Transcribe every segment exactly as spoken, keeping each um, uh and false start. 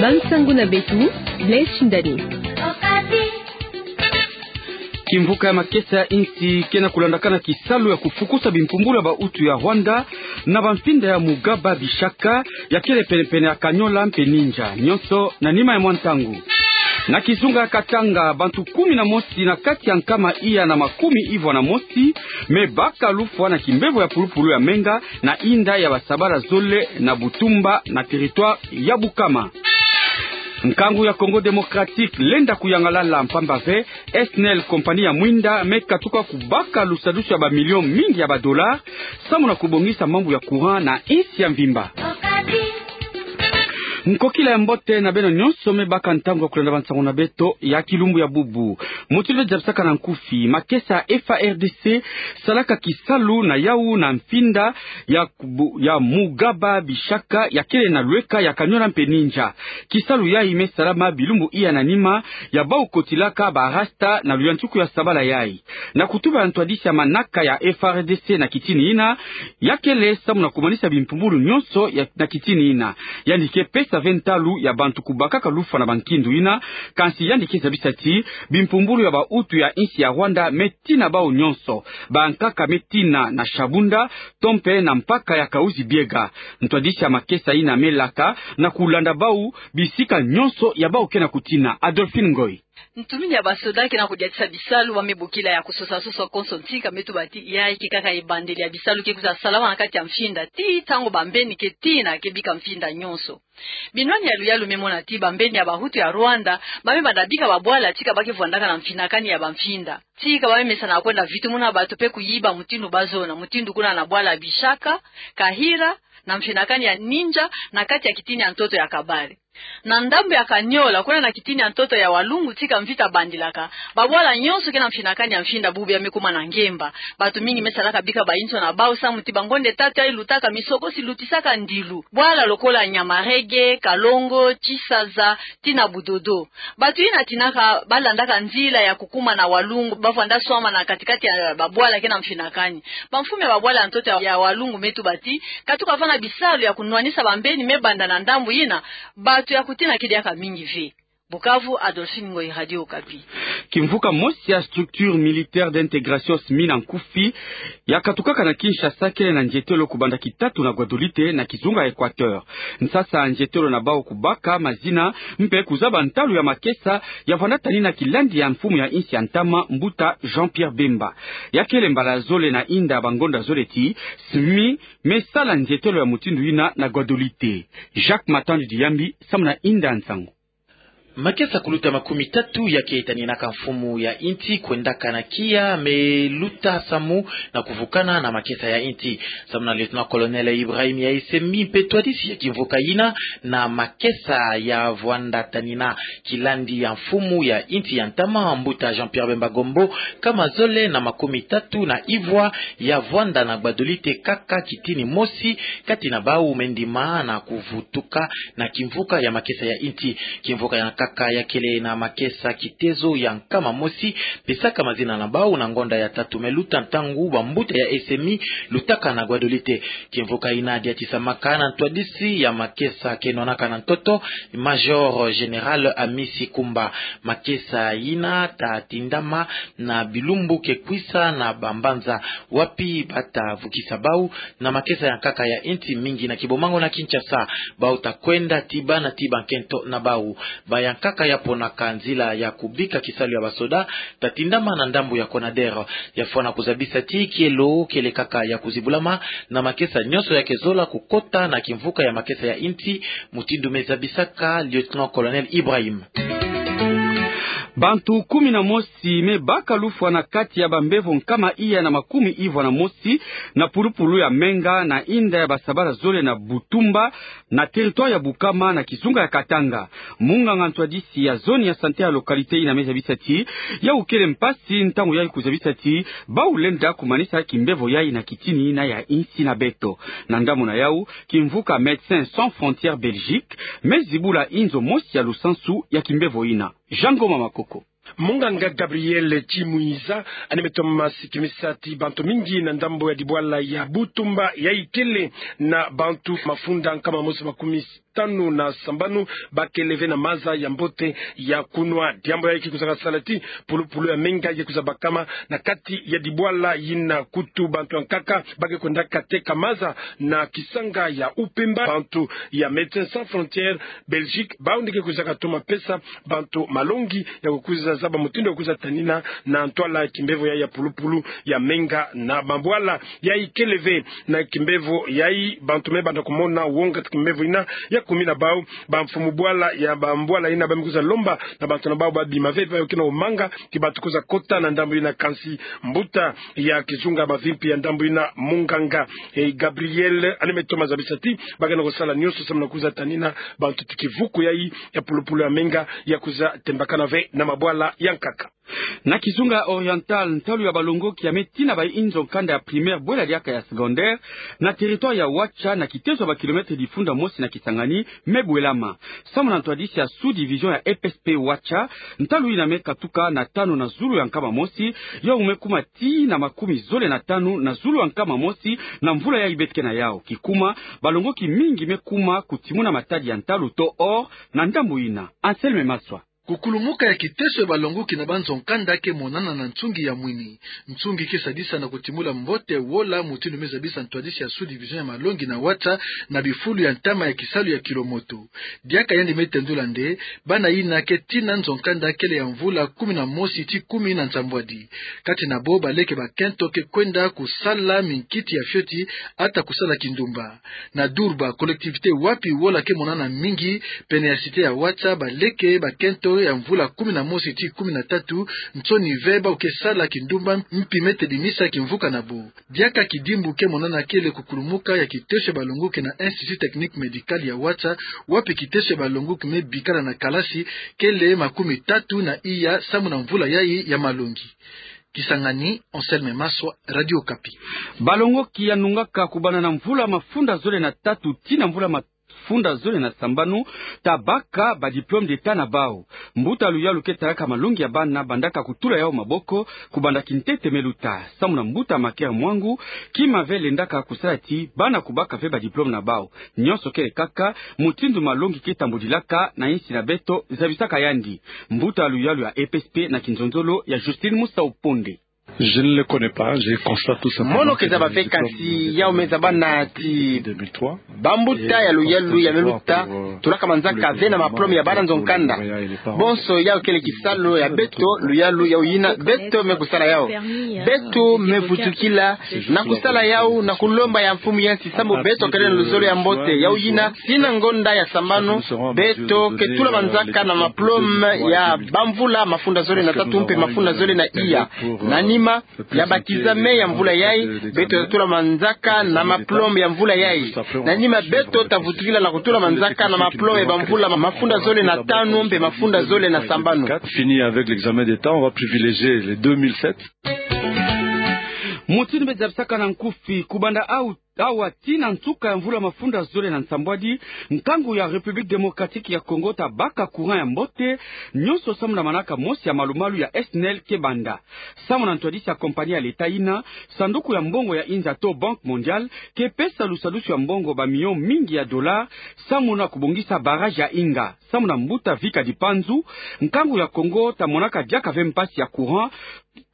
Bansangu na beto, Blaise Shindani. Kimvuka ya makesa ya insi ke na kulandakana kisalu ya kufukusa bimpumbulu ya bautu ya Rwanda na bamfinda ya Mugaba Bishaka, ya kele pene-pene ya Kanyola mpe Ninja, nyonso na nima ya mwa ntangu. Na kizunga ya Katanga, bantu kumi na mosi na kati ya nkama iya na makumi ivwa na mosi me baka lufwa na kimbevo ya pulupulu ya menga na inda ya basabala zole na Butumba na territoire ya Bukama. Nkangu ya Congo Démocratique lenda kuyangalala mpamba ve, S N E L, kompani ya mwinda, me katuka kubaka lusadusu ya bamilio mingi ya badollars, samu na kubongisa mambu ya courant na insi ya mvimba. Nkokila ya mbote na beno nyonso me baka ntangu ya kulanda bansangu na beto ya kilumbu ya bubu. Mutindu zabisaka na nkufi, makesa ya F A R D C salaka kisalu na yau na mfinda ya kubu-, ya Mugaba Bishaka, ya kele na lweka ya Kanyola mpe Ninja. Kisalu yayi me salama bilumbu iya na nima ya bau kotilaka ba rasta na luyantiku ya sabala yayi. Na kutuba ya ntwadisi ya manaka ya F A R D C na kitini ina, ya kele samu na kumanisa bimpumbulu nyonso ya, na kitini ina. Yandi ke pesa ve ntalu ya bantu kubakaka lufwa na bankindu ina, kansi yandi ke zabisa ti bimpumbulu ya bautu ya insi ya Rwanda me tina bau nyonso. Bankaka me tina na Shabunda, to mpe na mpaka ya Kahuzi-Biega. Ntwadisi ya makesa ina me laka na kulanda bau bisika nyonso ya bau ke na kutina. Adolphine Ngoy. Ntumini ya basoda ke na kudiatisa bisalu, ba me bokila ya kusosa-sosa konso ntika, me tuba ti yayi ke kaka ebandeli ya bisalu ke kwiza salama na kati ya mfinda, tii ntangu bambeni ke tina ke bika mfinda nyonso. Binwani ya luyalu me mona ti bambeni ya bahutu ya Rwanda ba me banda bika babwala tika ba ke vwandaka na mfinakani ya bamfinda. Tika ba me mesana kwenda vitumuna bato mpe kuyiba mutindu ba zona, mutindu kuna na bwala Bishaka, Kahira, na mfinakani ya Ninja, na kati ya kitini ya ntoto ya Kabare. Na ndambu ya Kanyola, kuna na kitini ya ntoto ya Walungu, tika mvita bandilaka, babwala nyonso ke na mfinakani ya mfinda bubu ya me kuma na ngemba. Bato mingi me salaka bika bayinso na bau samu ti bangonde tatu yayi lutaka misoko si lutisaka ndilu. Bwala lokola Nyamarege, Kalongo, Chisaza, tii na Budodo. Bato yina tinaka ba landaka nzila ya kukuma na Walungu, ba vwanda swama na kati-kati ya babwala ke na mfinakani. Bamfumu ya babwala ya ntoto ya, ya Walungu me tuba ti katuka vana bisalu ya kunwanisa bambeni me banda na ndambu yina, bato ya kutina ke diaka mingi ve. Bukavu, Adolphine Ngoyi, Radio Okapi. Kimvuka mosi ya Structure Militaire d'Intégration, S M I na nkufi, ya katukaka na Kinshasa, kele na nzietelo kubanda Kitatu na Guadeloupe na kizunga ya Equateur. Nsasa nzietelo na bau kubaka mazina mpe kuzaba ntalu ya makesa ya vwanda tanina kilandi ya mfumu ya insi ya ntama, Mbuta Jean-Pierre Bemba. Ya kele mbala zole na inda bangonda zole ti S M I me sala nzietelo ya mutindu yina na Guadeloupe. Jacques Matandi Diyambi, samu na inda nsangu. Makesa kuluta makumi tatu ya ke taninaka mfumu ya insi kwendaka na kiya me luta samu na kuvukana na makesa ya insi. Samu na Lieutenant-colonel Ibrahim ya S M I mpe ntwadisi ya kimvuka yina, na makesa ya vwanda tanina kilandi ya mfumu ya insi ya ntama, Mbuta Jean-Pierre Bemba Gombo, nkama zole na makumi tatu na ivwa ya vwanda na Guadeloupe kaka kitini mosi kati na bau me ndima na kuvutuka na kimvuka ya makesa ya insi. Kimvuka ya nkaka ya kele na makesa kitezo ya nkama mosi, pesaka mazina na bau na ngonda ya tatu me luta ntangu bambuta ya S M I lutaka na Guadeloupe. Kimvuka yina diatisamaka na ntwadisi ya makesa ke nwanaka na ntoto, Major Général Amisi Kumba. Makesa yina tatindama na bilumbu ke kwisa na bambanza wapi bata vukisa bau na makesa ya nkaka ya insi, mingi na Kibomango na Kinshasa. Bau takwenda tii bana tii bankento na bau. Ba ya nkaka ya ponaka nzila ya kubika kisalu ya basoda tatindama na ndambu ya Conader. Ya fwana kuzabisa ti kielo kele kaka ya kuzibulama na makesa nyonso ya ke zola kukota na kimvuka ya makesa ya insi, mutindu me zabisaka Lieutenant-colonel Ibrahim. Bantu kumi na mosi me baka lufwa na kati ya bambevo nkama iya na makumi ivwa na mosi na pulupulu ya menga na inda ya basabala zole na Butumba, na territoire ya Bukama, na kizunga ya Katanga. Munganga ntwadisi ya zone ya santé ya localité yina me zabisa ti yau kele mpasi ntangu yayi kuzabisa ti bau lenda kumanisa kimbevo yayi na kitini yina ya insi na beto. Na ndambu na yau, kimvuka Médecins Sans Frontières Belgique me zibula inzo mosi ya lusansu ya kimbevo yina. Jean Ngoma Makoko. Munganga Gabriel Chimuiza, ane me toma sikimisa ti bantu mingi na ndambo ya dibwala ya Butumba, ya ikele na bantu mafunda nkama mosi makumi tanu na sambanu, bakele ve na maza ya mbote ya kunwa. Diambu yayi ke kwiza kasala ti pulupulu ya menga ye kwiza bakama na kati ya dibwala yina. Kutu bantu ya nkaka ba ke kwendaka teka maza na kisanga ya Upemba. Bantu ya Médecins Sans Frontières Belgique, bawu nde ke kwiza katoma pesa bantu malongi ya kukwiza zaba mutindu ya kukwiza tanina na ntwala ya kimbevo yayi ya pulupulu ya menga na mabwala. Ya ikele ve na kimbevo yayi, bantu me banda kumona wonga ti kimbevo yina ya kumi na bawu, bamfumu bwala ya bambwala yina ba me kwiza lomba na bantu na bawu babima ve, ba ke na umanga ti batukwiza kota na ndambu yina. Kansi mbuta ya kizunga bavimpi ya ndambu yina, munganga, eh, Gabriel, ane me toma zabisa ti ba ke na kusala nyonso samu na kukwiza tanina bantu ti kivuku yayi ya pulupulu ya menga ya kwiza tembakana ve na mabwala ya nkaka. Na kizunga Oriental, ntalu ya balongoki ya me tina bayi nzo kanda ya primaire bwela diaka ya secondaire na territoire ya Watcha, na kitezo ya ba kilomètre difunda mosi na Kisangani, me bwelama. Samu na ntwadisi ya sous-division ya E P S P Watcha, ntalu yina me katuka na tanu na zulu ya nkama mosi, yawu me kuma tii na makumi zole na tanu na zulu ya nkama mosi na mvula yayi beto ke na yawu. Kikuma, balongoki mingi me kuma kutimuna matadi ya ntalu to or na ndambu yina. Anselme Maswa. Kukulumuka ya kitezo ya balongoki na banzo kanda ke monana na nsungi ya mwini. Nsungi ke sadisa na kutimula mbote wola mutindu me zabisa ntwadisi ya sous-division ya malongi na Watcha na bifulu ya ntama ya kisalu ya kilomoto. Diaka yandi me tendula nde bana yina ke tina nzo kanda kele ya mvula kumi na mosi ti kumi na nsambwadi. Kati na bo baleke bakento ke kwenda kusala minkiti ya fioti, ata kusala kindumba. Na Durba, collectivité wapi wola ke monana mingi pene ya cité ya Watcha, baleke bakento ya mvula kumi na mosi ti kumi na tatu, nsoni ve bawu ke sala kindumba mpi me tedimisa kimvuka na bo. Diaka kidimbu ke monana kele kukulumuka ya kitezo ya balongoki na Institut Technique Médical ya Watcha, wapi kitezo ya balongoki me bikala na kalasi kele makumi tatu na iya samu na mvula yayi ya malongi. Kisangani, Anselme Maswa, Radio Okapi. Balongoki ya nungaka kubanda na mvula mafunda zole na tatu tii na mvula ma- funda zole na sambanu ta baka ba diplôme d'État na bawu. Mbuta luyalu ke talaka malongi ya bana bandaka kutula yawu maboko kubanda kintete me luta. Samu na mbuta Maker Mwangu, kima ve lendaka kusala ti bana kubaka ve ba diplôme na bawu. Nyonso kele kaka mutindu malongi ke tambudilaka na insi na beto, zabisaka yandi mbuta luyalu ya E P S P na kinzonzolo ya Justine Musa Uponde. Je ne les connais pas, je constate tout simplement. Mono ke zaba ve, kansi yawu me zaba na ti bambuta ya luyalu ya me luta tulaka manzaka ve na maplome ya bana nzo kanda. Bonso yawu kele kisalu ya beto, luyalu yawu yina beto me kusala yawu. Beto me vutukila na kusala yawu na kulomba ya mfumu ya nsi sambu beto kele na luzolo ya mbote. Yawu yina, tina ngonda ya sambanu, beto ke tula manzaka na maplome ya bamvula mafunda zole na tatu mpe mafunda zole na iya. Na nima ya ba kizame ya mvula yayi, beto ta tula manzaka na maplome ya mvula yayi. Na nima beto ta vutukila na kutula manzaka na maplome ya bamvula mafunda zole na tanu mpe mafunda zole na sambanu. Fini avec l'examen d'État, on va privilégier les deux mille sept. Mutindu me zabisaka na nkufi, kubanda awu awa tii na nsuka ya mvula mafunda zole na nsambwadi, nkangu ya République Démocratique ya Congo ta baka courant ya mbote nyonso samu na manaka mosi ya malumalu ya SNEL ke banda. Samu na ntwadisi ya compagnie ya l'État yina, sanduku ya mbongo ya inza to Banque Mondiale ke pesa lusadusu ya mbongo ba millions mingi ya dollars samu na kubongisa barrage ya Inga. Samu na mbuta Vika Dipanzu, nkangu ya Congo ta monaka diaka ve mpasi ya courant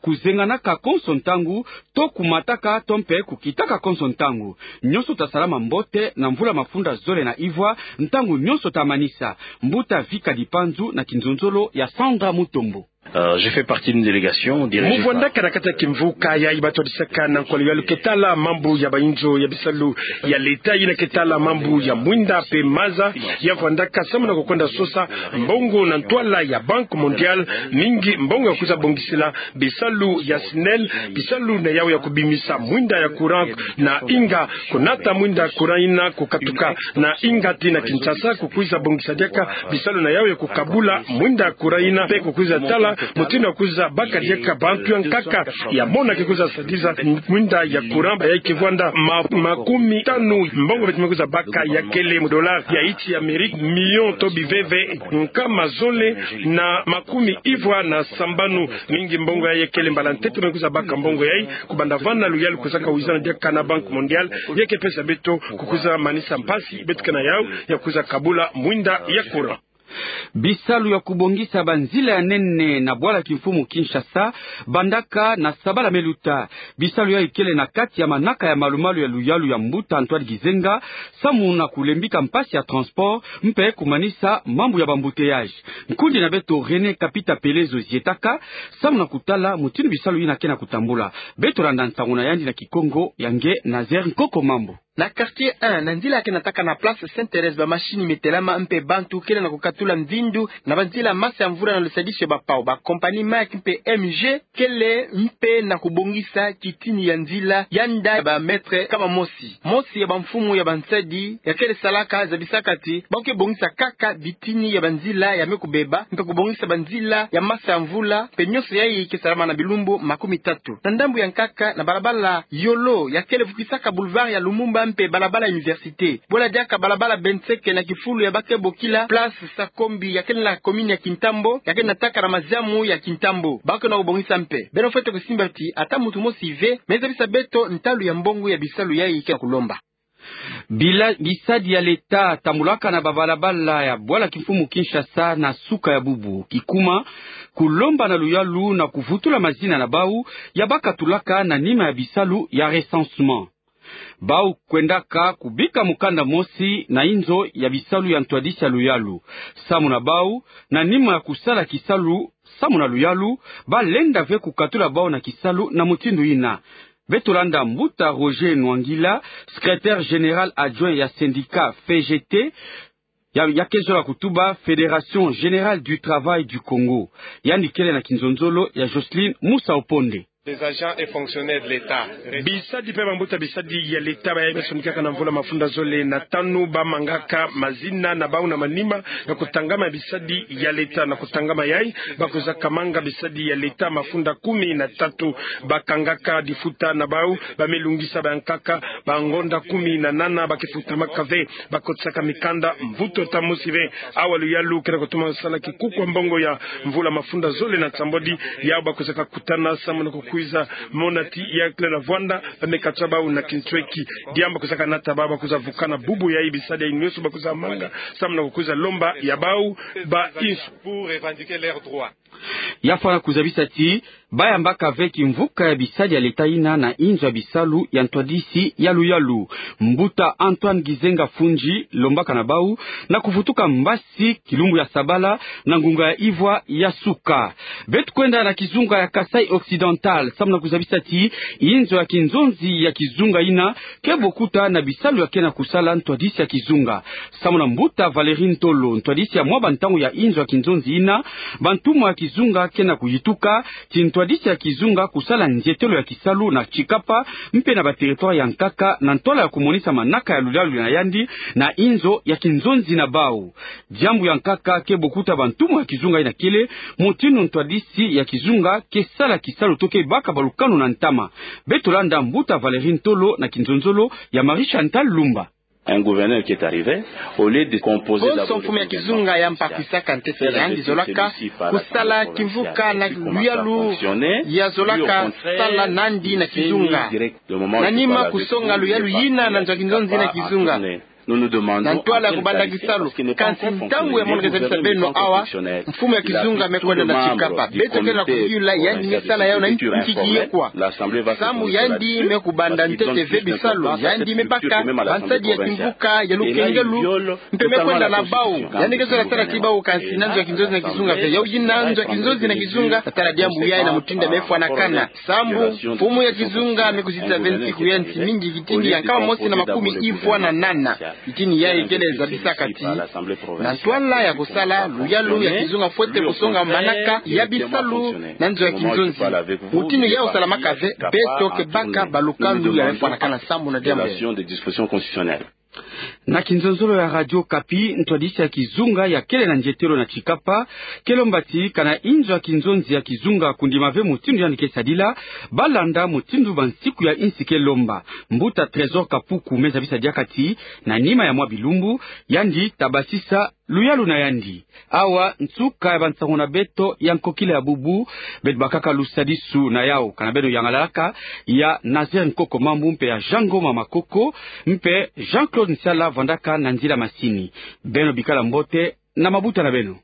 kuzenganaka konso ntangu, to kumataka to mpe kukitaka konso ntangu. Nyonso ta salama mbote na mvula mafunda zole na ivwa, ntangu nyonso ta manisa. Mbuta Vika Dipanzu na kinzonzolo ya Sandra Mutombo. Euh, je fais partie d'une délégation dirigée par... Mu vwandaka na kati ya kimvuka yayi ba twadisaka na nkwala ya luyalu ke tala mambu ya bayinzo ya bisalu ya l'État yina ke tala mambu ya mwinda mpe maza. Ya vwandaka samu na kukwenda sosa mbongo na ntwala ya Banque Mondiale, mingi mbongo ya kwiza bongisila bisalu ya SNEL, bisalu na yawu ya kubimisa mwinda ya courant na Inga, kunata mwinda courant yina kukatuka na Inga tii na Kinshasa, kukwiza bongisa diaka bisalu na yawu ya kukabula mwinda courant yina, mpe kukwiza tala Mutindu ya kwiza baka diaka bantu ya nkaka ya mona ke kwiza sadiza mwinda ya courant, ba yayi ke vwanda ma-, makumi tanu mbongo beto me kwiza baka ya kele mu dollar ya insi ya Amerika, million to biveve nkama zole na makumi ivwa na sambanu. Mingi mbongo yayi ya kele mbala ntete me kwiza baka mbongo yayi, kubanda vana luyalu kwizaka wizana diaka na Banque Mondiale, ya ke pesa beto ku kwiza manisa mpasi beto ke na yawu ya kwiza kabula mwinda ya courant. Bisalu ya kubongisa banzila ya nene na bwala kimfumu Kinshasa bandaka na sabala me luta. Bisalu yayi kele na kati ya manaka ya malu-malu ya luyalu ya mbuta Antoine Gizenga, samu na kulembika mpasi ya transport mpe kumanisa mambu ya ba-embouteillage. Nkundi na beto René Kapita Pelezo zietaka, samu na kutala mutindu bisalu yina ke na kutambula. Beto landa nsangu na yandi na Kikongo, ya nge Nazaire Nkoko Mambu. Na quartier un, na nzila ke nataka na place Sainte Thérèse, ba machine me telama mpe bantu kele na kukatula mvindu na banzila masa ya mvula na lusadisu ya bapau. Ba compagnie Maersk mpe M G kele mpe na kubongisa kitini ya nzila ya nda ya ba mètre kama mosi. Mosi ya bamfumu ya bansadi ya kele salaka zabisaka ti ba ke bongisa kaka bitini ya banzila ya me kubeba, mpe kubongisa banzila ya masa ya mvula, mpe nyonso yayi ke salama na bilumbu makumi tatu. Na ndambu ya nkaka, na balabala Yolo ya kele vukisaka boulevard ya Lumumba mpe balabala Université, bola diaka balabala Benseke na kifulu ya ba ke bokila place Sakombi ya kele na commune ya Kintambo, ya kele nataka na maziamu ya Kintambo, ba ke na kubongisa mpe. Beno fwete kusimba ti ata muntu mosi ve me zabisa beto ntalu ya mbongo ya bisalu yayi ke na kulomba. Bila-, bisadi ya leta tambulaka na babalabala ya bwala kimfumu Kinshasa na suka ya bubu. Kikuma, kulomba na luyalu na kuvutula mazina na bau ya bakatulaka na nima ya bisalu ya recensement. Bau kwendaka kubika mukanda mosi na inzo ya bisalu ya ntwadisi ya luyalu. Samu na bau, na nima ya kusala kisalu samu na luyalu, ba lenda ve kukatula bau na kisalu na mutindu yina. Beto landa mbuta Roger Nwangila, secrétaire général adjoint ya syndicat F G T, ya, ya ke zola kutuba Fédération Générale du Travail du Congo. Yandi kele na kinzonzolo ya Jocelyne Musa Oponde. Des agents et fonctionnaires de l'État. Bisadi mpe bambuta bisadi ya leta bayayi basonikaka na mvula mafunda zole na tanu, ba mangaka mazina na bau na manima ya kutangama ya bisadi ya leta. Na kutangama yayi, ba kwizaka manga bisadi ya leta mafunda kumi na tatu. Ba kangaka difuta na bau, ba me lungisa ba nkaka, ba ngonda kumi na nana ba ke futamaka ve. Ba kotisaka mikanda mvutu ata mosi ve. Awa luyalu ke na kutuma sala kikuku ya mbongo ya mvula mafunda zole na nsambwadi, yau ba kwizaka kutana samu na kukwiza mona ti ya kele na vwanda, ba me kata bau na kintweki. Diambu ba kwizaka nata bau, ba kwiza vukana bubu yayi bisadi yayi nyonso ba kwiza manga samu na kukwiza lomba ya bau ba insu. Pour revendiquer leurs droits. Ya fwana kuzabisa ti ba yambaka ve kimvuka ya bisadi ya leta yina na inzo ya bisalu ya ntwadisi ya luyalu. Mbuta Antoine Gizenga Fundji lombaka na bau na kuvutuka mbasi kilumbu ya sabala na ngunga ya ivwa ya suka. Beto kwenda na kizunga ya Kasaï Occidental samu na kuzabisa ti inzo ya kinzonzi ya kizunga yina ke bokuta na bisalu ya ke na kusala ntwadisi ya kizunga. Samu na mbuta Valérie Ntolo, ntwadisi ya mwa bantangu ya inzo ya kinzonzi yina, bantumwa ya kizunga ke na kuyituka ti ntwadisi ya kizunga kusala nzietelo ya kisalu na Tshikapa mpe na ba territoire ya nkaka na ntwala ya kumonisa manaka ya luyalu na yandi na inzo ya kinzonzi na bau. Diambu ya nkaka ke bokuta bantumwa ya kizunga yina kele mutindu ntwadisi ya kizunga ke sala kisalu to ke baka balukanu na ntama. Beto landa mbuta Valérie Ntolo na kinzonzolo ya Marie Chantal Lumba. Un gouverneur qui est arrivé, au lieu de composer d'abord... Bonso mfumu ya kizunga ya mpa kwisaka ntete, yandi zolaka kusala kimvuka na luyalu ya zolaka sala nandi na kizunga. Na nima kusonga luyalu yina na nzo ya kinzonzi na kizunga. Na ntwala ya kubanda kisalu. Kansi ntangu ya mono ke zabisa beno awa, mfumu ya kizunga me kwenda na Tshikapa. Beto ke na kuyula yandi me sala yau na nki ye kwa. Samu yandi me kubanda ntete ve bisalu, yandi me baka bansadi ya kimvuka ya lukengelu, mpe me kwenda na bau. Yandi ke zola sala ti bau kansi na nzo ya kinzonzi na kizunga ve. Yau yina nzo ya kinzonzi na kizunga, tatala diambu yayi na mutindu ya me fwanakana. Samu mfumu ya kizunga me kuzitisa ve nsiku ya nsi mingi, kitini ya nkama mosi na makumi ivwa na nana. Kitini yayi kele zabisaka ti na ntwala ya kusala luyalu ya kizunga fwete kusonga manaka ya bisalu na nzo ya kinzonzi. Mutindu yawu salamaka ve, beto ke baka balukanu ya me fwanakana samu na diambu. Na kinzonzolo ya Radio Okapi, ntwadisi ya kizunga ya kele na nzietelo na Tshikapa ke lomba ti kana inzo ya kinzonzi ya kizunga kundima ve mutindu yandi ke sadila, ba landa mutindu bansiku ya insi ke lomba. Mbuta Trésor Kapuku me zabisa diaka ti, na nima ya mwa bilumbu, yandi ta basisa luyalu na yandi. Awa nsuka ya bansangu na beto ya nkokila ya bubu. Beto bakaka lusadisu na yawu, kana beno yangalalaka, ya Nazaire Nkoko Mambu mpe ya Jean Ngoma Makoko, mpe Jean Claude Nsiala vandaka na nzila masini. Beno bikala mbote na mabuta na beno.